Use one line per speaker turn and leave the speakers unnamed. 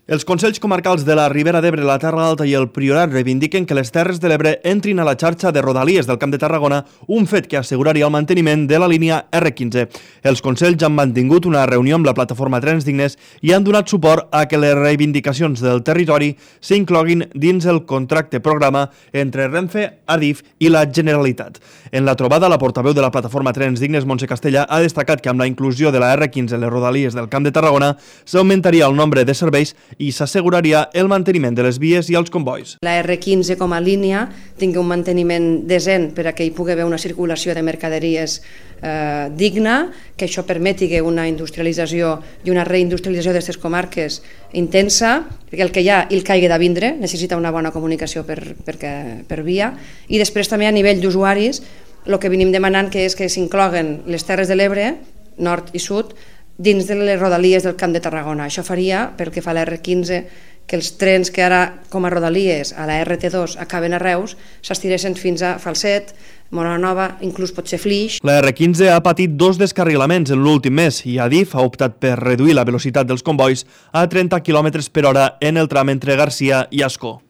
Els Consells Comarcals de la Ribera d'Ebre, la Terra Alta i el Priorat reivindiquen que les Terres de l'Ebre entrin a la xarxa de rodalies del Camp de Tarragona, un fet que asseguraria el manteniment de la línia R15. Els Consells han mantingut una reunió amb la plataforma Trens Dignes i han donat suport a que les reivindicacions del territori s'incloguin dins el contracte programa entre Renfe, Adif i la Generalitat. En la trobada, la portaveu de la plataforma Trens Dignes, Montse Castella, ha destacat que amb la inclusió de la R15 en les rodalies del Camp de Tarragona s'augmentaria el nombre de serveis i s'asseguraria el manteniment de les vies i els convois.
La R15 com a línia tingui un manteniment decent per a que hi pugui haver una circulació de mercaderies digna, que això permeti una industrialització i una reindustrialització d'aquestes comarques intensa, perquè el que hi ha el caigui de vindre, necessita una bona comunicació per via, i després també a nivell d'usuaris el que venim demanant que és que s'incloguen les Terres de l'Ebre, nord i sud, dins de les rodalies del Camp de Tarragona. Això faria, pel que fa a la R15, que els trens que ara com a rodalies a la RT2 acaben a Reus s'estiressin fins a Falset, Móra-la-Nova, inclús potser Flix.
La R15 ha patit 2 descarrilaments en l'últim mes i Adif ha optat per reduir la velocitat dels convois a 30 km/h en el tram entre Garcia i Ascó.